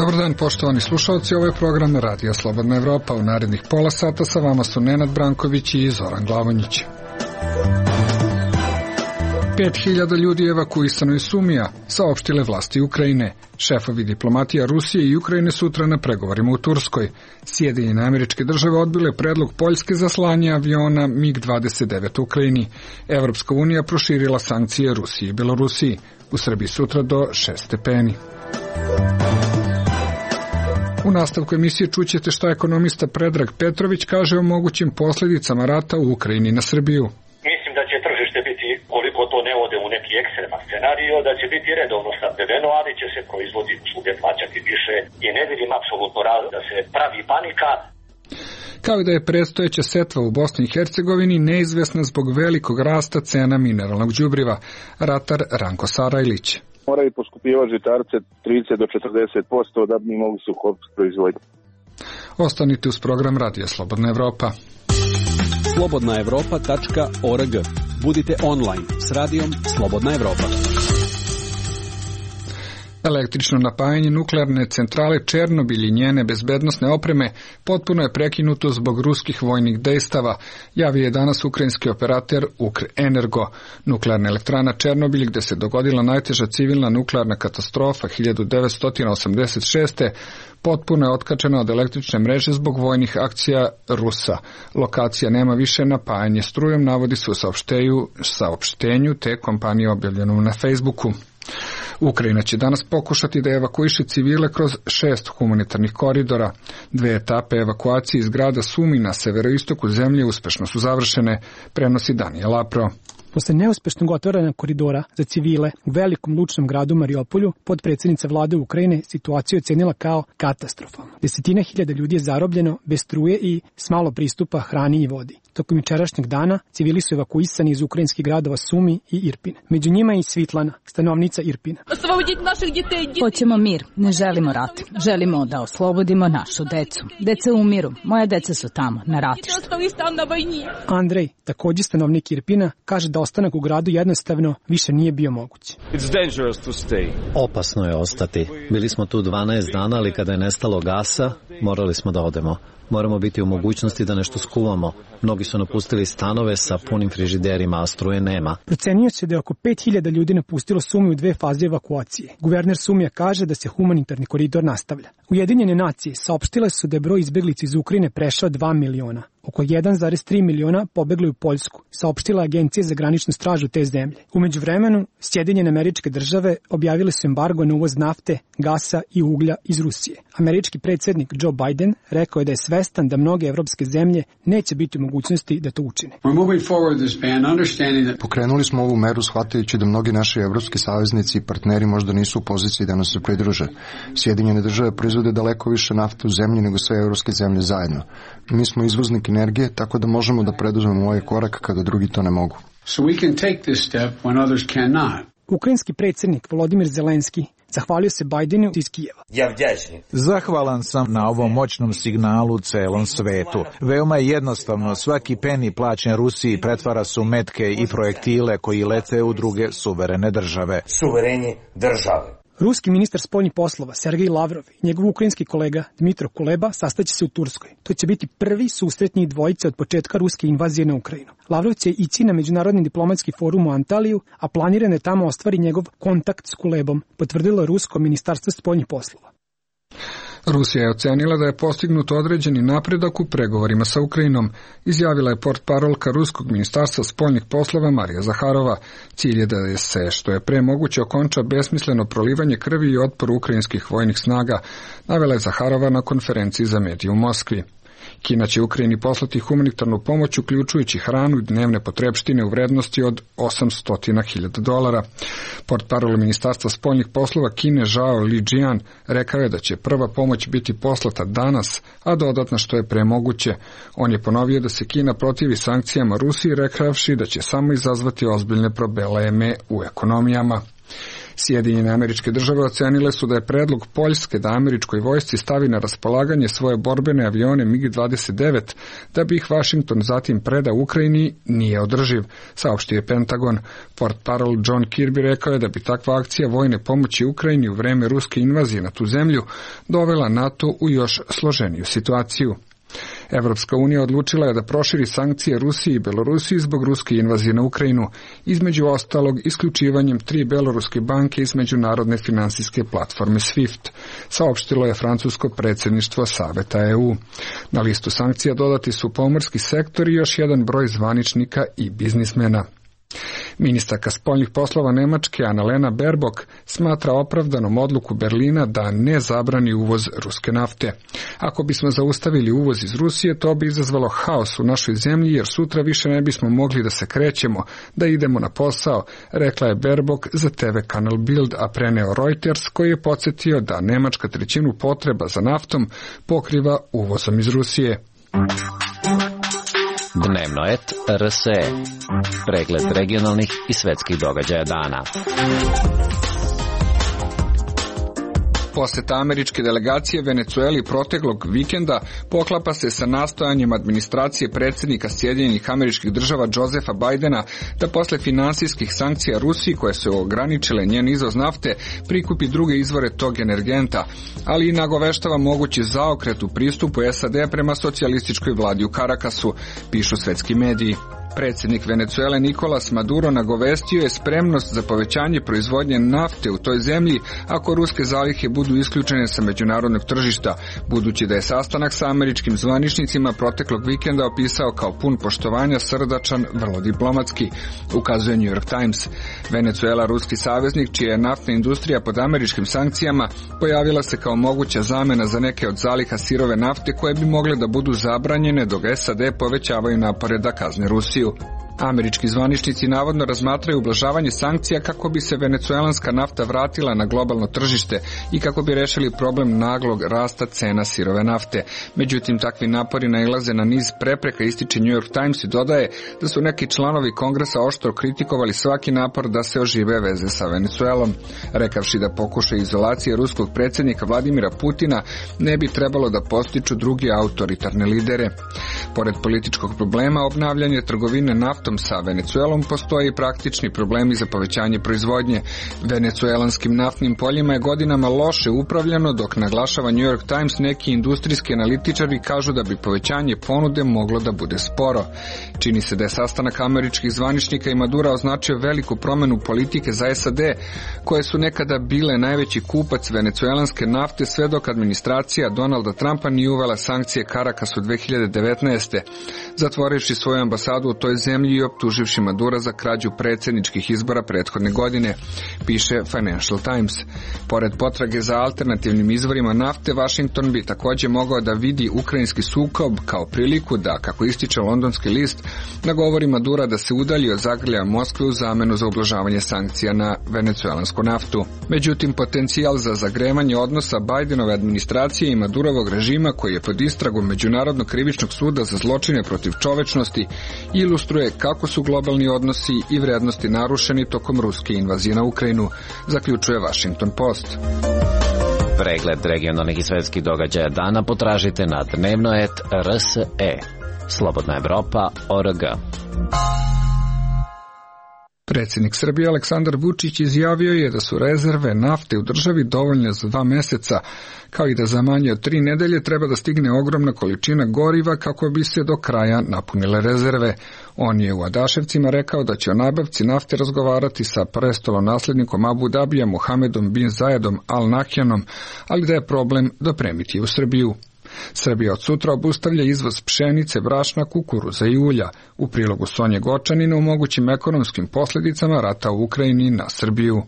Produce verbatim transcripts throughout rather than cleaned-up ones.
Dobar dan, poštovani slušalci, ovo je program Radija Slobodna Evropa. U narednih pola sata sa vama su Nenad Branković i Zoran Glavonjić. pet hiljada ljudi evakuisano iz Sumija, saopštile vlasti Ukrajine. Šefovi diplomatija Rusije i Ukrajine sutra na pregovorima u Turskoj. Sjedinjene Američke Države odbile predlog Poljske za slanje aviona mig dvadeset devet u Ukrajini. Evropska unija proširila sankcije Rusiji i Belorusiji. U Srbiji sutra do šest stepeni. U nastavku emisije čućete šta ekonomista Predrag Petrović kaže o mogućim posljedicama rata u Ukrajini na Srbiju. Mislim da će tržište biti, koliko to ne ode u neki ekstreman scenario, da će biti redovno snabdeveno, ali će se proizvodi svugdje plaćati više i ne vidim apsolutno razlog da se pravi panika. Kao i da je predstojeća setva u Bosni i Hercegovini neizvesna zbog velikog rasta cena mineralnog đubriva. Ratar Ranko Sarajlić. Moraju poskupljivati žitarce trideset do četrdeset posto da bi mogli suhopiti proizvodnju. Ostanite uz program Radija Slobodna Evropa. slobodna evropa tačka org. Budite online s radijom Slobodna Evropa. Električno napajanje nuklearne centrale Černobil i njene bezbednosne opreme potpuno je prekinuto zbog ruskih vojnih dejstava, javio je danas ukrajinski operater Ukrenergo. Nuklearna elektrana Černobil, gde se dogodila najteža civilna nuklearna katastrofa hiljadu devetsto osamdeset šeste. potpuno je otkačena od električne mreže zbog vojnih akcija Rusa. Lokacija nema više napajanje strujom, navodi se u saopštenju, saopštenju te kompanije objavljenom na Facebooku. Ukrajina će danas pokušati da evakuiše civile kroz šest humanitarnih koridora. Dve etape evakuacije iz grada Sumi na severoistoku zemlje uspešno su završene, prenosi Daniel Apro. Posle neuspešnog otvaranja koridora za civile u velikom lučnom gradu Mariupolju, potpredsjednica vlade Ukrajine situaciju ocenila kao katastrofalnu. Desetine hiljada ljudi je zarobljeno bez struje i s malo pristupa hrani i vodi. Tokom jučerašnjeg dana civili su evakuisani iz ukrajinskih gradova Sumi i Irpin. Među njima i Svitlana, stanovnica Irpina. Hoćemo mir, ne želimo rat. Želimo da oslobodimo našu decu. Deca umiru, moja deca su tamo, na ratištu. Andrej, također stanovnik Irpina, kaže da ostanak u gradu jednostavno više nije bio moguć. Opasno je ostati. Bili smo tu dvanaest dana, ali kada je nestalo gasa, morali smo da odemo. Moramo biti u mogućnosti da nešto skuvamo. Mnogi su napustili stanove sa punim frižiderima, a struje nema. Procenjuje se da je oko pet hiljada ljudi napustilo Sumiju u dve faze evakuacije. Guverner Sumija kaže da se humanitarni koridor nastavlja. Ujedinjene nacije saopštile su da je broj izbeglica iz Ukrajine prešao dva miliona. Oko jedan zarez tri miliona pobegli u Poljsku, saopštila Agencija za graničnu stražu te zemlje. U međuvremenu, Sjedinjene Američke Države objavile su embargo na uvoz nafte, gasa i uglja iz Rusije. Američki predsjednik Joe Biden rekao je da je svestan da mnoge evropske zemlje neće biti u mogućnosti da to učine. Pokrenuli smo ovu meru shvatajući da mnogi naši evropski saveznici i partneri možda nisu u poziciji da nas se pridruže. Sjedinjene Države proizvode daleko više nafte u zemlji nego sve evropske zemlje zajedno. Mi smo izvoznik energije, tako da možemo da preduzmemo ovaj korak kada drugi to ne mogu. So we can take this step when others cannot. Ukrajinski predsjednik Volodimir Zelenski zahvalio se Bidenu iz Kijeva. Zahvalan sam na ovom moćnom signalu celom svetu. Veoma je jednostavno, svaki peni plaćen Rusiji pretvara se u metke i projektile koji lete u druge suverene države. Suvereni države. Ruski ministar spoljnih poslova Sergej Lavrov i njegov ukrajinski kolega Dmitro Kuleba sastaće se u Turskoj. To će biti prvi susret njih dvojice od početka ruske invazije na Ukrajinu. Lavrov će ići na Međunarodni diplomatski forum u Antaliju, a planirano je tamo ostvari njegov kontakt s Kulebom, potvrdilo Rusko ministarstvo spoljnih poslova. Rusija je ocenila da je postignut određeni napredak u pregovorima sa Ukrajinom, izjavila je portparolka Ruskog ministarstva spoljnih poslova Marija Zaharova. Cilj je da se što je pre moguće okonča besmisleno prolivanje krvi i otpor ukrajinskih vojnih snaga, navela je Zaharova na konferenciji za medije u Moskvi. Kina će Ukrajini poslati humanitarnu pomoć, uključujući hranu i dnevne potrepštine u vrednosti od osamsto hiljada dolara. Portparol ministarstva spoljnih poslova Kine Zhao Lijian rekao je da će prva pomoć biti poslata danas, a dodatna što je pre moguće. On je ponovio da se Kina protivi sankcijama Rusiji, rekavši da će samo izazvati ozbiljne probleme u ekonomijama. Sjedinjene Američke Države ocenile su da je predlog Poljske da američkoj vojsci stavi na raspolaganje svoje borbene avione mig dvadeset devet da bi ih Vašington zatim preda Ukrajini nije održiv, saopštio je Pentagon. Portparol John Kirby rekao je da bi takva akcija vojne pomoći Ukrajini u vreme ruske invazije na tu zemlju dovela NATO u još složeniju situaciju. Evropska unija odlučila je da proširi sankcije Rusiji i Belorusiji zbog ruske invazije na Ukrajinu, između ostalog isključivanjem tri beloruske banke iz međunarodne finansijske platforme SWIFT, saopštilo je francusko predsjedništvo Saveta E U. Na listu sankcija dodati su pomorski sektor i još jedan broj zvaničnika i biznismena. Ministarka spoljnih poslova Nemačke Annalena Baerbock smatra opravdanom odluku Berlina da ne zabrani uvoz ruske nafte. Ako bismo zaustavili uvoz iz Rusije, to bi izazvalo haos u našoj zemlji, jer sutra više ne bismo mogli da se krećemo, da idemo na posao, rekla je Baerbock za T V kanal Bild, a preneo Reuters, koji je podsjetio da Nemačka trećinu potreba za naftom pokriva uvozom iz Rusije. Dnevno et R S E. Pregled regionalnih i svetskih događaja dana. Poseta američke delegacije Venecueli proteklog vikenda poklapa se sa nastojanjem administracije predsjednika Sjedinjenih Američkih Država Josefa Bidena da posle finansijskih sankcija Rusiji, koje su ograničile njen izvoz nafte, prikupi druge izvore tog energenta, ali i nagoveštava mogući zaokret u pristupu S A D prema socijalističkoj vladi u Karakasu, pišu svetski mediji. Predsjednik Venecuele Nicolas Maduro nagovestio je spremnost za povećanje proizvodnje nafte u toj zemlji ako ruske zalihe budu isključene sa međunarodnog tržišta, budući da je sastanak sa američkim zvaničnicima proteklog vikenda opisao kao pun poštovanja, srdačan, vrlo diplomatski, ukazuje New York Times. Venecuela, ruski saveznik, čija je naftna industrija pod američkim sankcijama, pojavila se kao moguća zamena za neke od zaliha sirove nafte koje bi mogle da budu zabranjene dok S A D povećavaju napore da kazne Rusiju. Američki zvaničnici navodno razmatraju ublažavanje sankcija kako bi se venecuelanska nafta vratila na globalno tržište i kako bi rešili problem naglog rasta cena sirove nafte. Međutim, takvi napori nailaze na niz prepreka, ističe New York Times i dodaje da su neki članovi kongresa oštro kritikovali svaki napor da se ožive veze sa Venecuelom, rekavši da pokušaj izolacije ruskog predsjednika Vladimira Putina ne bi trebalo da postiču drugi autoritarne lidere. Pored političkog problema obnavljanje trgovine naftom sa Venecuelom, postoje i praktični problemi za povećanje proizvodnje. Venecuelanskim naftnim poljima je godinama loše upravljano, dok, naglašava New York Times, neki industrijski analitičari kažu da bi povećanje ponude moglo da bude sporo. Čini se da je sastanak američkih zvaničnika i Madura označio veliku promenu politike za S A D, koje su nekada bile najveći kupac venecuelanske nafte sve dok administracija Donalda Trumpa nije uvela sankcije Karakasu dve hiljade devetnaeste. Zatvorivši svoju ambasadu u toj zemlji i optuživši Madura za krađu predsjedničkih izbora prethodne godine, piše Financial Times. Pored potrage za alternativnim izvorima nafte, Washington bi također mogao da vidi ukrajinski sukob kao priliku da, kako ističe londonski list, nagovori Madura da se udalji od zagrljaja Moskve u zamenu za ublažavanje sankcija na venecuelansku naftu. Međutim, potencijal za zagrevanje odnosa Bidenove administracije i Madurovog režima, koji je pod istragom Međunarodnog krivičnog suda za zločine protiv čovečnosti, ilustruje kako su globalni odnosi i vrednosti narušeni tokom ruske invazije na Ukrajinu, zaključuje Washington Post. Pregled regionalnih i svetskih događaja dana potražite na dnevno et R S E. Slobodna Evropa, O R G. Predsjednik Srbije Aleksandar Vučić izjavio je da su rezerve nafte u državi dovoljne za dva meseca, kao i da za manje od tri nedelje treba da stigne ogromna količina goriva kako bi se do kraja napunile rezerve. On je u Adaševcima rekao da će o nabavci nafte razgovarati sa prestolonaslednikom Abu Dabija Mohamedom bin Zayedom Al Nahjanom, ali da je problem dopremiti je u Srbiju. Srbija od sutra obustavlja izvoz pšenice, brašna, kukuruza i ulja. U prilogu Sonje Gočanina o mogućim ekonomskim posljedicama rata u Ukrajini na Srbiju.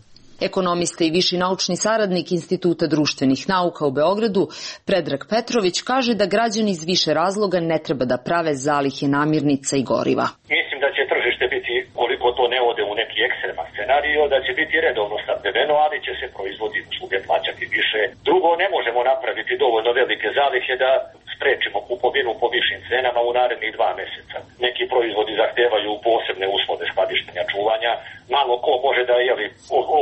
Ekonomista i viši naučni saradnik Instituta društvenih nauka u Beogradu, Predrag Petrović, kaže da građani iz više razloga ne treba da prave zalihe namirnica i goriva. Mislim da će tržište biti, koliko to ne ode u neki ekstreman scenario, da će biti redovno snabdeveno, ali će se proizvodi usluge plaćati više. Drugo, ne možemo napraviti dovoljno velike zalihe da sprečimo kupovinu po višim cenama u narednih dva meseca. Neki proizvodi zahtevaju posebne uslove skladištenja, čuvanja, malo ko može da jeli,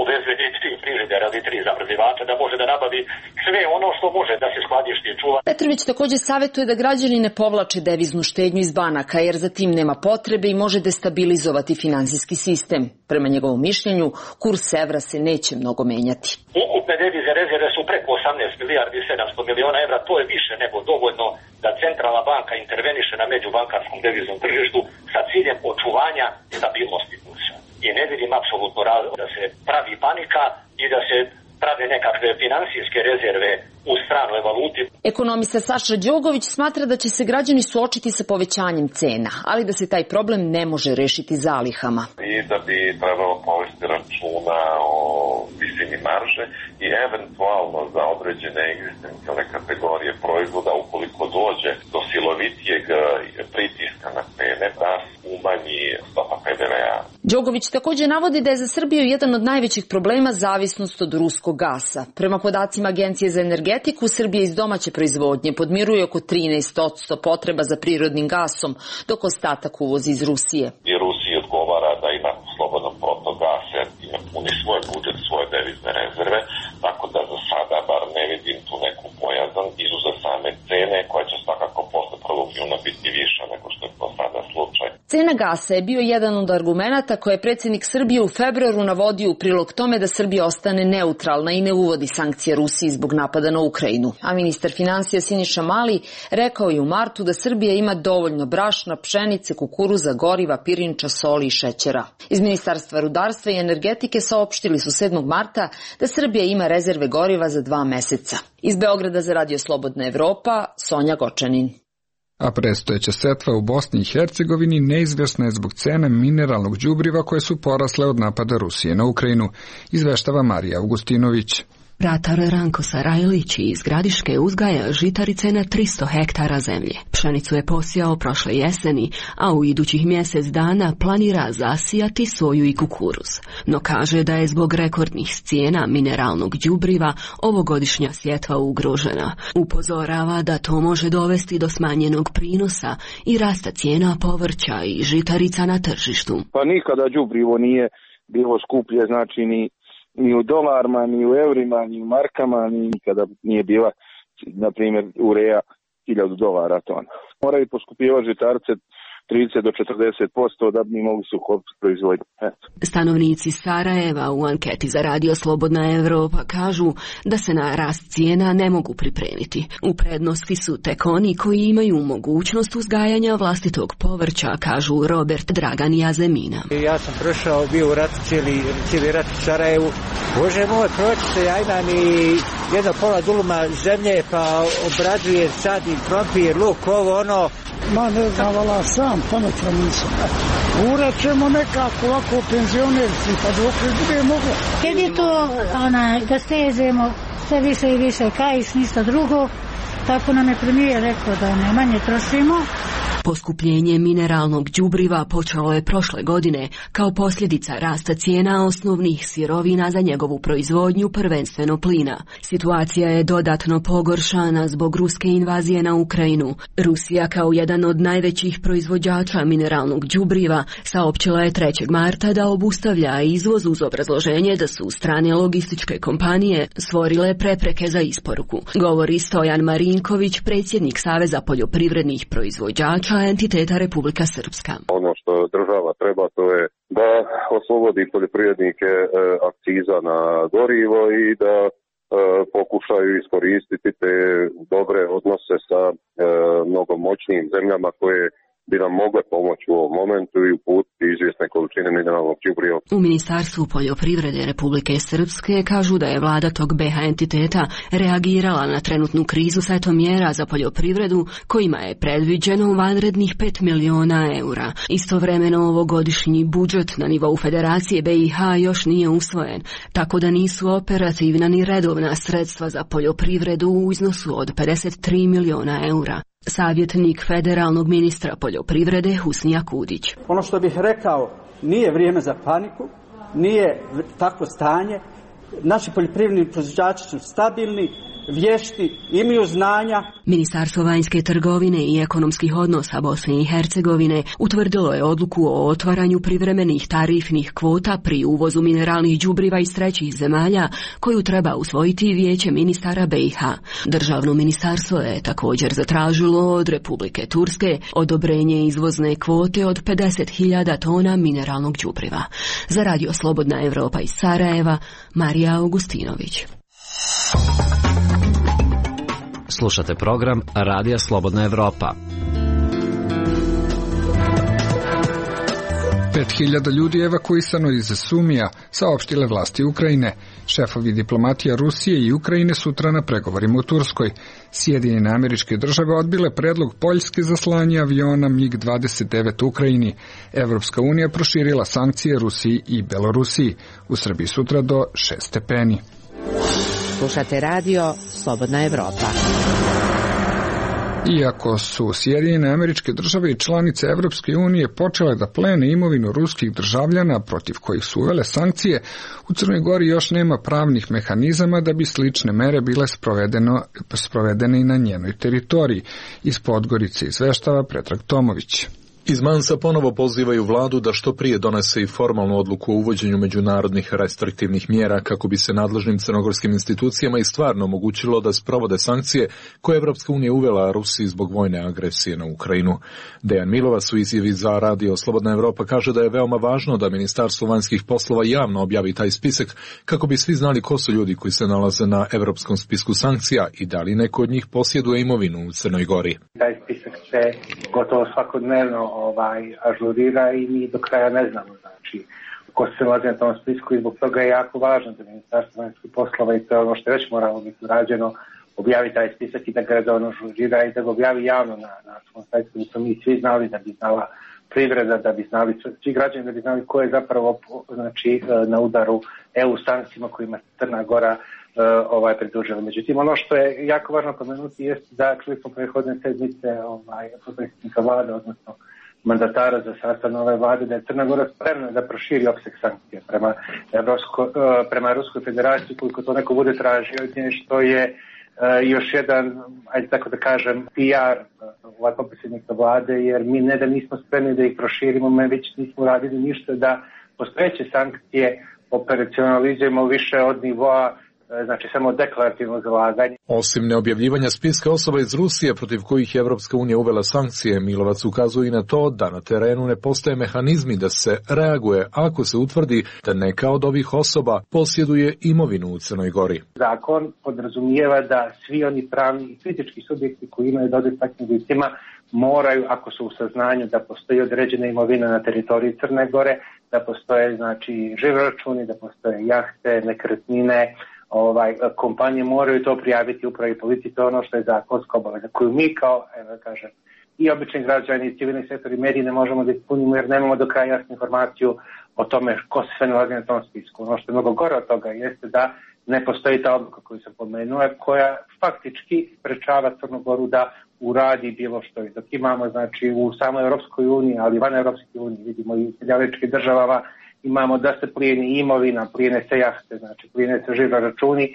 uveze tri frižidera ili tri zamrzivača, da može da nabavi sve ono što može da se skladišti i čuva. Petrović takođe savjetuje da građani ne povlače deviznu štednju iz banaka, jer za tim nema potrebe i može destabilizovati finansijski sistem. Prema njegovom mišljenju, kurs evra se neće mnogo menjati. Ukupne devize rezerve su preko osamnaest milijardi i sedamsto miliona evra, to je više nego dovoljno da centralna banka interveniše na međubankarskom deviznom tržištu sa ciljem očuvanja stabilnosti kursa. I ne vidim apsolutno razlog da se pravi panika i da se prave nekakve finansijske rezerve u stranoj valuti. Ekonomista Saša Đogović smatra da će se građani suočiti sa povećanjem cena, ali da se taj problem ne može rešiti zalihama. I da bi trebalo povesti računa o visini marže i eventualno za određene egzistencijalne kategorije proizvoda, ukoliko dođe do silovitijeg pritiska na cene, da umanji stopa P D V-a. Đogović takođe navodi da je za Srbiju jedan od najvećih problema zavisnost od ruskog gasa. Prema podacima Agencije za energetiku, Srbija iz domaće proizvodnje podmiruje oko trinaest posto potreba za prirodnim gasom, dok ostatak uvozi iz Rusije. I Rusiji odgovara da ima slobodan protok gasa, ima puni svoj budžet, svoje devizne rezerve, tako da za sada bar ne vidim tu neku bojazan, izuzev same cene koja će svakako posle prvog juna biti viša nego što je to sada slučaj. Cena gasa je bio jedan od argumenata koje je predsjednik Srbije u februaru navodio u prilog tome da Srbija ostane neutralna i ne uvodi sankcije Rusiji zbog napada na Ukrajinu. A ministar finansija Siniša Mali rekao je u martu da Srbija ima dovoljno brašna, pšenice, kukuruza, goriva, pirinča, soli i šećera. Iz Ministarstva rudarstva i energetike saopštili su sedmog marta da Srbija ima rezerve goriva za dva meseca. Iz Beograda za Radio Slobodna Evropa, Sonja Gočanin. A predstojeća setva u Bosni i Hercegovini neizvjesna je zbog cene mineralnog đubriva koje su porasle od napada Rusije na Ukrajinu, izveštava Marija Augustinović. Ratar Ranko Sarajlić iz Gradiške uzgaja žitarice na tristo hektara zemlje. Pšenicu je posijao prošle jeseni, a u idućih mjesec dana planira zasijati soju i kukuruz. No kaže da je zbog rekordnih cijena mineralnog đubriva ovogodišnja sjetva ugrožena. Upozorava da to može dovesti do smanjenog prinosa i rasta cijena povrća i žitarica na tržištu. Pa nikada đubrivo nije bilo skuplje, znači ni ni u dolarima, ni u evrima, ni u markama, ni nikada nije bila, na primjer, ureja hiljadu dolara tona. Moraju poskupivati žitarice trideset do četrdeset posto da bi mogli suhopiti proizvodnju. Stanovnici Sarajeva u anketi za Radio Slobodna Evropa kažu da se na rast cijena ne mogu pripremiti. U prednosti su tek oni koji imaju mogućnost uzgajanja vlastitog povrća, kažu Robert Dragan i Azemina. Ja sam prošao, bio u ratu, cijeli, cijeli rat u Sarajevu. Bože moj, proći se, ja imam i jedno pola duluma zemlje, pa obrađuje, sadim krompir, luk, ovo, ono. Ma ne znam, vala sam, pametno nisam. Urat ćemo nekako ovako penzionerci, pa dok bude moglo. Kad je to ona, da stezemo sve više i više kajš, ništa drugo, tako nam je premijer rekao da ne manje trošimo. Poskupljenje mineralnog đubriva počelo je prošle godine kao posljedica rasta cijena osnovnih sirovina za njegovu proizvodnju, prvenstveno plina. Situacija je dodatno pogoršana zbog ruske invazije na Ukrajinu. Rusija kao jedan od najvećih proizvođača mineralnog đubriva saopćila je trećeg marta da obustavlja izvoz uz obrazloženje da su strane logističke kompanije stvorile prepreke za isporuku. Govori Stojan Marinković, predsjednik Saveza poljoprivrednih proizvođača entiteta Republika Srpska. Ono što država treba, to je da oslobodi poljoprivrednike e, akciza na gorivo i da e, pokušaju iskoristiti te dobre odnose sa e, mnogo moćnijim zemljama koje bi nam mogle pomoći u ovom momentu i uputiti izvjesne količine mineralnog đubriva. U Ministarstvu poljoprivrede Republike Srpske kažu da je vlada tog B H entiteta reagirala na trenutnu krizu setom mjera za poljoprivredu kojima je predviđeno vanrednih pet miliona eura. Istovremeno ovogodišnji budžet na nivou Federacije B i H još nije usvojen, tako da nisu operativna ni redovna sredstva za poljoprivredu u iznosu od pedeset tri miliona eura. Savjetnik federalnog ministra poljoprivrede Husnija Kudić. Ono što bih rekao, nije vrijeme za paniku, nije takvo stanje. Naši poljoprivredni proizvođači su stabilni, vješti, imaju znanja. Ministarstvo vanjske trgovine i ekonomskih odnosa Bosne i Hercegovine utvrdilo je odluku o otvaranju privremenih tarifnih kvota pri uvozu mineralnih đubriva iz trećih zemalja, koju treba usvojiti Vijeće ministara B i H. Državno ministarstvo je također zatražilo od Republike Turske odobrenje izvozne kvote od pedeset hiljada tona mineralnog đubriva. Za Radio Slobodna Evropa iz Sarajeva, Marija Augustinović. Slušate program Radija Slobodna Evropa. Pet hiljada ljudi je evakuisano iz Sumija, saopštile vlasti Ukrajine. Šefovi diplomatija Rusije i Ukrajine sutra na pregovorima u Turskoj. Sjedinjene Američke Države odbile predlog Poljske za slanje aviona mig dvadeset devet u Ukrajini. Evropska unija proširila sankcije Rusiji i Belorusiji. U Srbiji sutra do šest stepeni. Slušate radio Slobodna Evropa. Iako su Sjedinjene Američke Države i članice Evropske unije počele da plene imovinu ruskih državljana protiv kojih su uvele sankcije, u Crnoj Gori još nema pravnih mehanizama da bi slične mere bile sprovedene i na njenoj teritoriji. Iz Podgorice izveštava Predrag Tomović. Iz Mansa ponovo pozivaju vladu da što prije donese i formalnu odluku o uvođenju međunarodnih restriktivnih mjera kako bi se nadležnim crnogorskim institucijama i stvarno omogućilo da sprovode sankcije koje Evropska unija uvela Rusiji zbog vojne agresije na Ukrajinu. Dejan Milovac u izjavi za Radio Slobodna Evropa kaže da je veoma važno da Ministarstvo vanjskih poslova javno objavi taj spisak kako bi svi znali ko su ljudi koji se nalaze na evropskom spisku sankcija i da li neko od njih posjeduje imovinu u Crnoj Gori. Taj spisak se gotovo svakodnevno ovaj, ažurira i mi do kraja ne znamo, znači, ko se nalazi na tom spisku i zbog toga je jako važno da Ministarstvo vanjskih poslova i to je ono što je već moralo biti urađeno, objavi taj spisak i da ga redovno ažurira i da ga objavi javno na, na svom sajtu, da smo mi svi znali, da bi znala privreda, da bi znali svi građani, da bi znali ko je zapravo znači, na udaru E U sankcijama kojima Crna Gora ovaj pridružila. Međutim, ono što je jako važno pomenuti jeste da čuli smo prethodne sedmice ovaj, potpredsjednika vlade, odnosno mandatara za sastav nove vlade, da je Crna Gora spremna da proširi opseg sankcija prema, Evropsko, prema Ruskoj federaciji, koliko to neko bude tražio, što je još jedan, ajde tako da kažem, P R ovaj potpredsjednika vlade, jer mi ne da nismo spremni da ih proširimo, mi već nismo radili ništa da postojeće sankcije operacionalizujemo više od nivoa, znači samo deklarativno zalaganje. Osim neobjavljivanja spiska osoba iz Rusije protiv kojih je Evropska unija uvela sankcije, Milovac ukazuje i na to da na terenu ne postoje mehanizmi da se reaguje ako se utvrdi da neka od ovih osoba posjeduje imovinu u Crnoj Gori. Zakon podrazumijeva da svi oni pravni i fizički subjekti koji imaju dodir takvim licima moraju, ako su u saznanju da postoji određena imovina na teritoriji Crne Gore, da postoje znači žiroračuni, da postoje jahte, nekretnine, ovaj, kompanije moraju to prijaviti upravi policiji, to je ono što je zakonska obaveza koju mi kao, evo kažem, i obični građani i civilni sektor i mediji ne možemo da ispunimo jer nemamo do kraja jasnu informaciju o tome ko se sve nalazi na tom spisku. Ono što je mnogo gore od toga jeste da ne postoji ta odluka koju sam pomenuo, koja faktički sprečava Crnu Goru da uradi bilo što. I dok imamo znači u samoj Europskoj uniji, ali van Europske unije, vidimo i u Sjedinjenim Državama, imamo da se plijeni imovina, plijene se jahte, znači plijene se žiroračuni uh,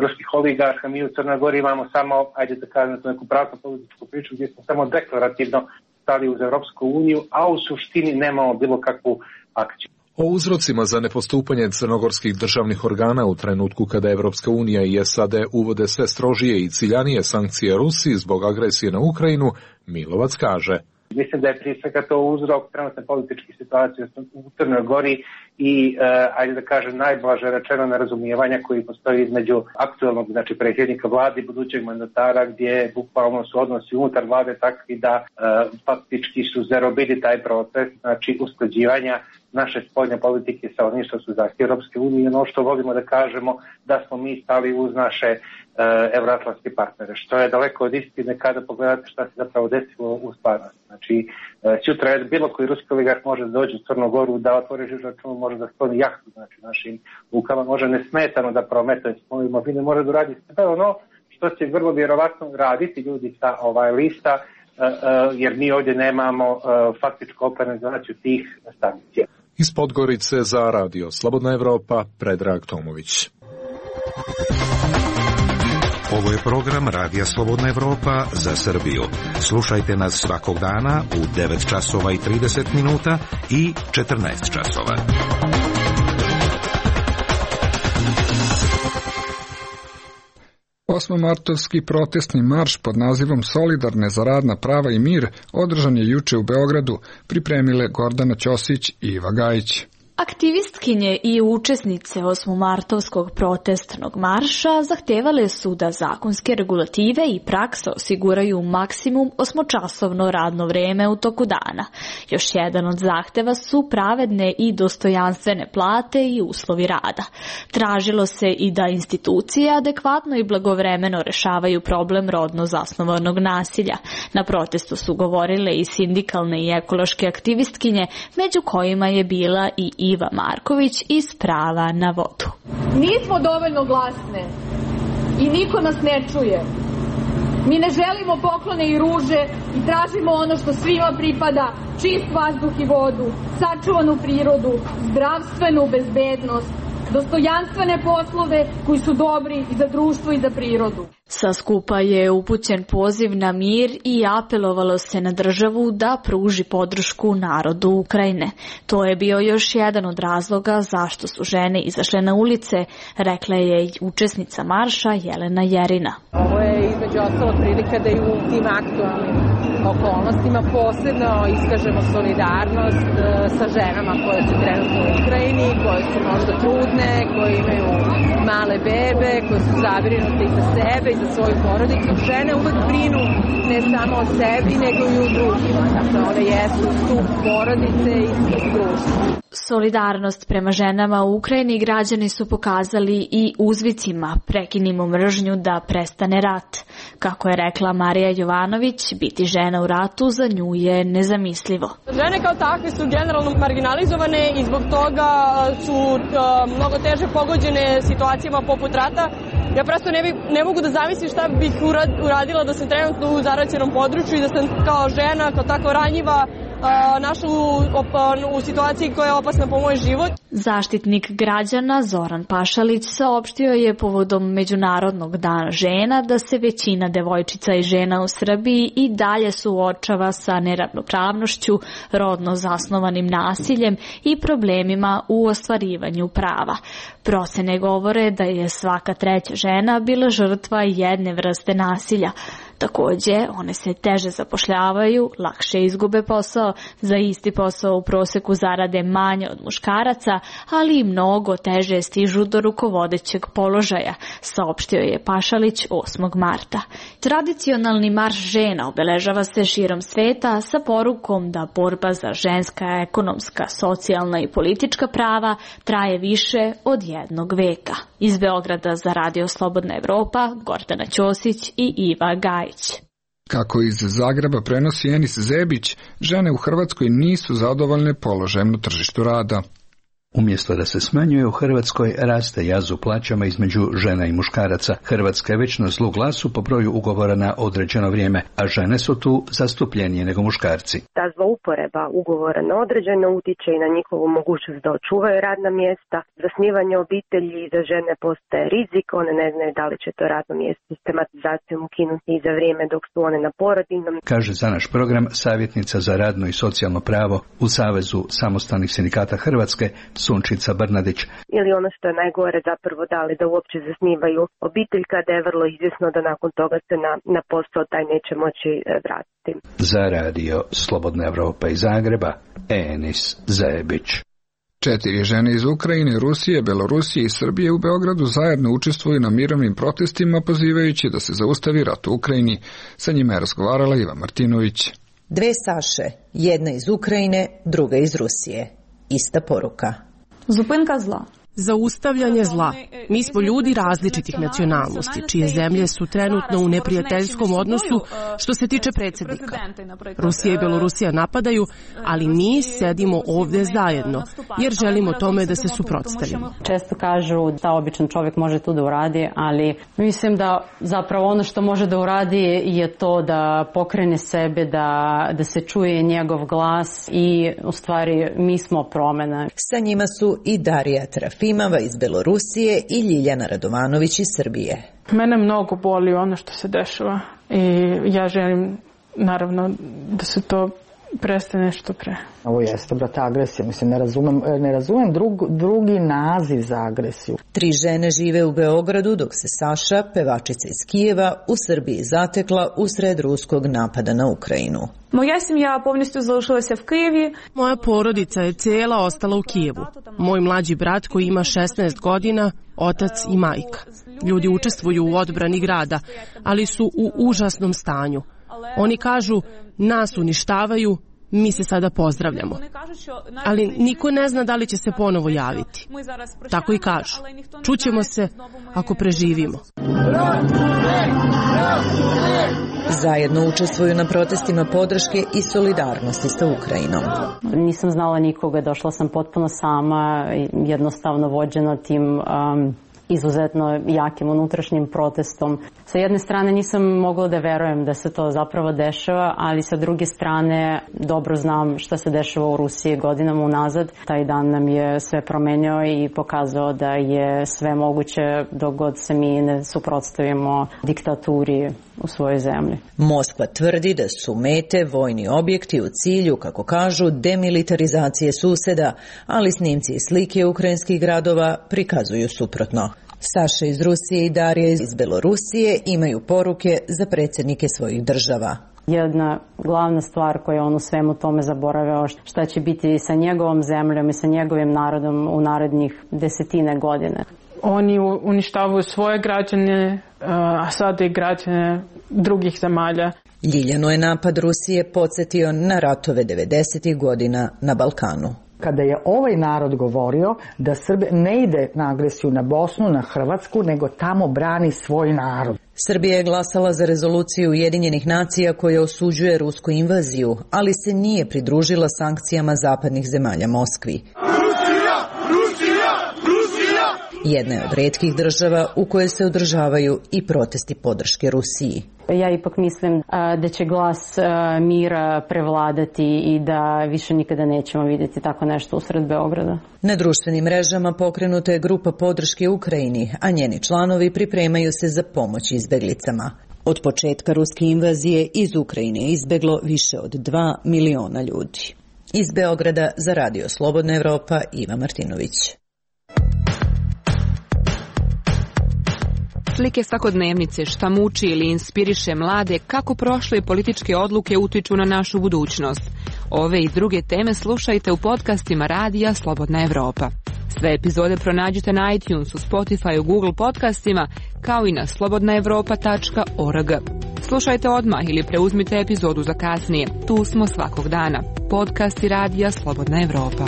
ruskih oligarha. Mi u Crnoj Gori imamo samo, ajde da kažem, neku pravnu političku priču gdje smo samo deklarativno stali uz Europsku uniju, a u suštini nemamo bilo kakvu akciju. O uzrocima za nepostupanje crnogorskih državnih organa u trenutku kada Evropska unija i S A D uvode sve strožije i ciljanije sankcije Rusiji zbog agresije na Ukrajinu, Milovac kaže: Mislim da je prije svega to uzrok trenutne političke situacije u Crnoj Gori i, uh, ajde da kažem, najblaže rečeno nerazumijevanja koji postoji između aktualnog, znači predsjednika vlade i budućeg mandatara, gdje bukvalno su odnosi unutar vlade takvi da uh, faktički su zarobili taj proces, znači usklađivanja naše spoljne politike sa onim što su zahtjevi Europske unije, ono što volimo da kažemo da smo mi stali uz naše uh, evroatlantske partnere, što je daleko od istine kada pogledate šta se zapravo desilo u stvarnosti. Znači, uh, sutra je bilo koji ruski oligarh može da dođe u Crnu Goru, da otvori žiroračun, može da skloni jahtu, znači našim lukama, može nesmetano da prometuje svoju imovinu, može da radi sve ono što će vrlo vjerovatno raditi ljudi sa ovaj lista, uh, uh, jer mi ovdje nemamo uh, faktičku operacionalizaciju tih sankcija. Iz Podgorice za Radio Slobodna Evropa, Predrag Tomović. Ovo je program Radija Slobodna Evropa za Srbiju. Slušajte nas svakog dana u devet časova i trideset minuta i četrnaest časova. Osmomartovski protestni marš pod nazivom Solidarne za radna prava i mir održan je juče u Beogradu, pripremile Gordana Ćosić i Iva Gajić. Aktivistkinje i učesnice osmomartovskog protestnog marša zahtevale su da zakonske regulative i praksa osiguraju maksimum osmočasovno radno vreme u toku dana. Još jedan od zahteva su pravedne i dostojanstvene plate i uslovi rada. Tražilo se i da institucije adekvatno i blagovremeno rešavaju problem rodno zasnovanog nasilja. Na protestu su govorile i sindikalne i ekološke aktivistkinje, među kojima je bila i Iva Marković iz Prava na vodu. Nismo dovoljno glasne i niko nas ne čuje. Mi ne želimo poklone i ruže i tražimo ono što svima pripada, čist vazduh i vodu, sačuvanu prirodu, zdravstvenu bezbednost, dostojanstvene poslove koji su dobri i za društvo i za prirodu. Sa skupa je upućen poziv na mir i apelovalo se na državu da pruži podršku narodu Ukrajine. To je bio još jedan od razloga zašto su žene izašle na ulice, rekla je i učesnica marša Jelena Jerina. Ovo je između ostalo prilika da i u tim aktualnim okolnostima posebno iskažemo solidarnost sa ženama koje su trenutno u Ukrajini, koje su možda trudne, koje imaju male bebe, koje su zabrinute i za sebe i za svoju porodicu. Žene uvek brinu ne samo o sebi, nego i u drugima. Dakle, one jesu stup porodice i stup društva. Solidarnost prema ženama u Ukrajini građani su pokazali i uzvicima prekinimo mržnju da prestane rat. Kako je rekla Marija Jovanović, biti žena u ratu za nju je nezamislivo. Žene kao takve su generalno marginalizovane i zbog toga su mnogo teže pogođene situacijama poput rata. Ja prosto ne, bi, ne mogu da zamislim šta bih uradila da sam trenutno u zaraćenom području i da sam kao žena, kao tako ranjiva, našla u, u situaciji koja je opasna po moj život. Zaštitnik građana Zoran Pašalić saopštio je povodom Međunarodnog dana žena da se većina devojčica i žena u Srbiji i dalje suočava sa neravnopravnošću, rodno zasnovanim nasiljem i problemima u ostvarivanju prava. Procene govore da je svaka treća žena bila žrtva jedne vrste nasilja. Takođe, one se teže zapošljavaju, lakše izgube posao, za isti posao u proseku zarade manje od muškaraca, ali i mnogo teže stižu do rukovodećeg položaja, saopštio je Pašalić osmog marta. Tradicionalni marš žena obeležava se širom sveta sa porukom da borba za ženska, ekonomska, socijalna i politička prava traje više od jednog veka. Iz Beograda za Radio Slobodna Evropa, Gordana Ćosić i Iva Gajić. Kako iz Zagreba prenosi Enis Zebić, žene u Hrvatskoj nisu zadovoljne položajem na tržištu rada. Umjesto da se smanjuje u Hrvatskoj, raste jaz u plaćama između žena i muškaraca. Hrvatska je već na zlu glasu po broju ugovora na određeno vrijeme, a žene su tu zastupljenije nego muškarci. Ta zlouporaba ugovora na određeno utiče i na njihovu mogućnost da očuvaju radna mjesta. Zasnivanje obitelji za žene postaje rizik, one ne znaju da li će to radno mjesto sistematizacijom ukinuti i za vrijeme dok su one na porodiljnom. Kaže za naš program savjetnica za radno i socijalno pravo u Savezu samostalnih sindikata Hrvatske Sunčica Brnadić. Ili ono što je najgore zapravo da li da uopće zasnivaju obitelj kada je vrlo izvjesno da nakon toga se na, na posao taj neće moći vratiti. Za Radio Slobodna Evropa iz Zagreba, Enis Zebić. Četiri žene iz Ukrajine, Rusije, Belorusije i Srbije u Beogradu zajedno učestvuju na mirovnim protestima pozivajući da se zaustavi rat u Ukrajini. Sa njima je razgovarala Iva Martinović. Dve Saše, jedna iz Ukrajine, druga iz Rusije. Ista poruka. Zupinka zla. Zaustavljanje zla. Mi smo ljudi različitih nacionalnosti, čije zemlje su trenutno u neprijateljskom odnosu što se tiče predsjednika. Rusija i Belorusija napadaju, ali mi sedimo ovdje zajedno, jer želimo tome da se suprotstavimo. Često kažu da običan čovjek može to da uradi, ali mislim da zapravo ono što može da uradi je to da pokrene sebe, da, da se čuje njegov glas i u stvari mi smo promjena. Sa njima su i Darija Trafi Jefimova iz Belorusije i Ljiljana Radovanović iz Srbije. Mene mnogo boli ono što se dešava i ja želim naravno da se to prestane što pre. Ovo jeste, brate, agresija. Mislim, ne razumem, ne razumem drug, drugi naziv za agresiju. Tri žene žive u Beogradu, dok se Saša, pevačica iz Kijeva, u Srbiji zatekla usred ruskog napada na Ukrajinu. Moja семья повністю залишилася в Києві. Moja porodica je cijela ostala u Kijevu. Moj mlađi brat koji ima šesnaest godina, otac i majka. Ljudi učestvuju u odbrani grada, ali su u užasnom stanju. Oni kažu, nas uništavaju, mi se sada pozdravljamo. Ali niko ne zna da li će se ponovo javiti. Tako i kažu. Čućemo se ako preživimo. Zajedno učestvuju na protestima podrške i solidarnosti sa Ukrajinom. Nisam znala nikoga, došla sam potpuno sama, jednostavno vođena tim um, izuzetno jakim unutrašnjim protestom. Sa jedne strane nisam mogla da verujem da se to zapravo dešava, ali sa druge strane dobro znam šta se dešava u Rusiji godinama unazad. Taj dan nam je sve promenio i pokazao da je sve moguće dok god se mi ne suprotstavimo diktaturi u svojoj zemlji. Moskva tvrdi da su mete vojni objekti u cilju, kako kažu, demilitarizacije suseda, ali snimci i slike ukrajinskih gradova prikazuju suprotno. Saša iz Rusije i Darija iz Belorusije imaju poruke za predsjednike svojih država. Jedna glavna stvar koju on u svemu tome zaboravio, šta će biti sa njegovom zemljom i sa njegovim narodom u narednih desetine godine. Oni uništavaju svoje građane, a sada i građane drugih zemalja. Ljiljanu je napad Rusije podsjetio na ratove devedesetih godina na Balkanu. Kada je ovaj narod govorio da Srbija ne ide na agresiju na Bosnu, na Hrvatsku, nego tamo brani svoj narod. Srbija je glasala za rezoluciju Ujedinjenih nacija koja osuđuje rusku invaziju, ali se nije pridružila sankcijama zapadnih zemalja Moskvi. Rusija! Rusija! Rusija! Jedna je od retkih država u kojoj se održavaju i protesti podrške Rusiji. Ja ipak mislim a, da će glas a, mira prevladati i da više nikada nećemo vidjeti tako nešto usred Beograda. Na društvenim mrežama pokrenuta je grupa podrške Ukrajini, a njeni članovi pripremaju se za pomoć izbeglicama. Od početka ruske invazije iz Ukrajine je izbeglo više od dva miliona ljudi. Iz Beograda za Radio Slobodna Evropa, Iva Martinović. Slike svakodnevnice, šta muči ili inspiriše mlade, kako prošle političke odluke utiču na našu budućnost. Ove i druge teme slušajte u podcastima Radija Slobodna Evropa. Sve epizode pronađite na iTunesu, Spotify, Google podcastima, kao i na slobodna evropa tačka org. Slušajte odmah ili preuzmite epizodu za kasnije. Tu smo svakog dana. Podcasti Radija Slobodna Evropa.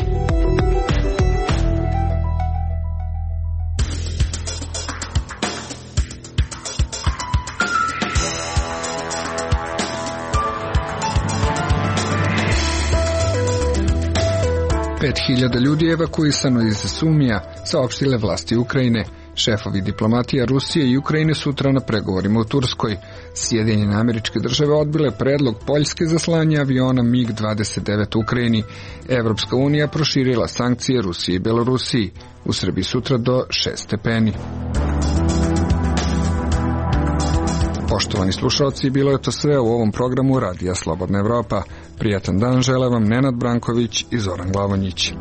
pet hiljada ljudi je evakuisano iz Sumija, saopštile vlasti Ukrajine. Šefovi diplomatija Rusije i Ukrajine sutra na pregovorima u Turskoj. Sjedinjene Američke Države odbile predlog Poljske za slanje aviona mig dvadeset devet u Ukrajini. Evropska unija proširila sankcije Rusiji i Belorusiji. U Srbiji sutra do šest stepeni. Poštovani slušalci, bilo je to sve u ovom programu Radija Slobodna Evropa. Prijatan dan žele vam Nenad Branković i Zoran Glavonjić.